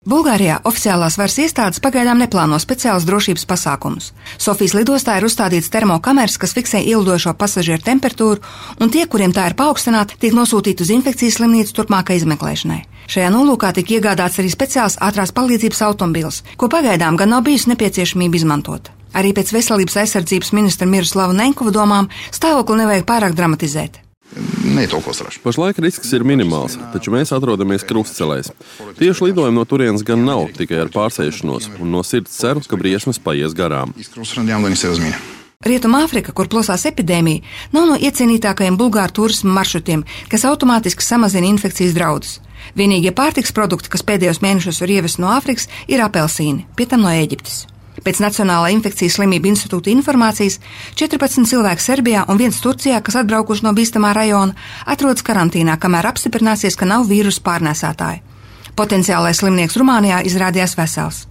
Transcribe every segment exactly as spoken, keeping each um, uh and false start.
Bulgārijā oficiālās varas iestādes pagaidām neplāno speciālus drošības pasākumus. Sofijas lidostā ir uzstādīts termokameras, kas fiksē ielidojošo pasažieru temperatūru, un tie, kuriem tā ir paaugstināta, tiek nosūtīti uz infekcijas slimnīcu turpmākai izmeklēšanai. Šajā nolūkā tika iegādāts arī speciāls ātrās palīdzības automobils, ko pagaidām gan nav bijusi nepieciešamība izmantot. Arī pēc veselības aizsardzības ministra Miroslava Nenkova domām stāvokli nevajag pārāk dramatizēt. Pašlaik risks ir minimāls, taču mēs atrodamies krustcelēs. Tieši lidojumi no turienes gan nav, tikai ar pārsēšanos, un no sirds ceru, ka briesmas paies garām. Rietumāfrika, kur plosās epidēmija, nav no iecienītākajiem bulgāru turisma maršrutiem, kas automātiski samazina infekcijas draudus. Vienīgie pārtiks produkti, kas pēdējos mēnešos ir ievesti no Āfrikas, ir apelsīni, pie tam no Ēģiptes. Pēc Nacionālā infekcijas slimību institūta informācijas četrpadsmit cilvēki Serbijā un viens Turcijā, kas atbraukuši no bīstamā rajona, atrodas karantīnā, kamēr apstiprināsies, ka nav vīrusu pārnēsātāji. Potenciālais slimnieks Rumānijā izrādījās vesels.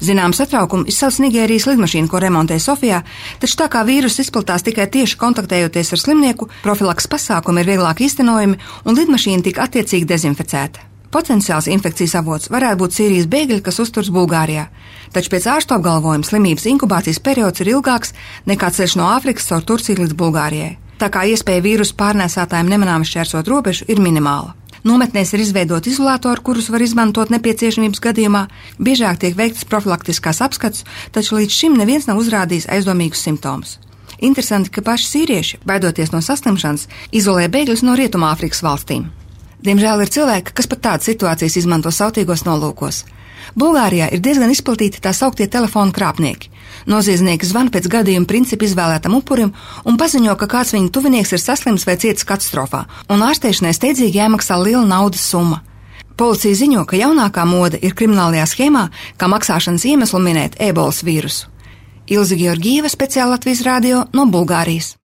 Zinām satraukumu izsauc Nigērijas lidmašīnu, ko remontē Sofijā, taču tā kā vīruss izplatās tikai tieši kontaktējoties ar slimnieku, profilaks pasākumi ir vieglāk īstenojami un lidmašīna tika attiecīgi dezinficēta. Potenciāls infekcijas avots varētu būt Sīrijas bēgļi, kas uzturas Bulgārijā, taču pēc ārstu apgalvojuma slimības inkubācijas periods ir ilgāks nekā ceļš no Āfrikas caur Turciju līdz Bulgārijai. Tā kā iespēja vīrusu pārnēsātājiem nemanāmi šķērsot robežu ir minimāla. Nometnēs ir izveidoti izolātori, kurus var izmantot nepieciešamības gadījumā, biežāk tiek veiktas profilaktiskās apskats, taču līdz šim neviens nav uzrādījis aizdomīgus simptomus. Interesanti, ka paši sīrieši, baidoties no saslimšanas, izolē bēgļus no Rietumāfrikas valstīm. Diemžēl ir cilvēki, kas pat tādas situācijas izmanto sautīgos nolūkos. Bulgārijā ir diezgan izplatīti tā sauktie telefonu krāpnieki. Noziedznieki zvana pēc gadījuma principa izvēlētam upurim un paziņo, ka kāds viņu tuvinieks ir saslims vai cietis katastrofā, un ārstēšanai steidzīgi jāmaksā liela naudas summa. Policija ziņo, ka jaunākā mode ir kriminālajā schēmā, kā maksāšanas iemeslu minēt ebolas vīrusu. Ilze Georgieva, Speciāla Latvijas radio no Bulgārijas.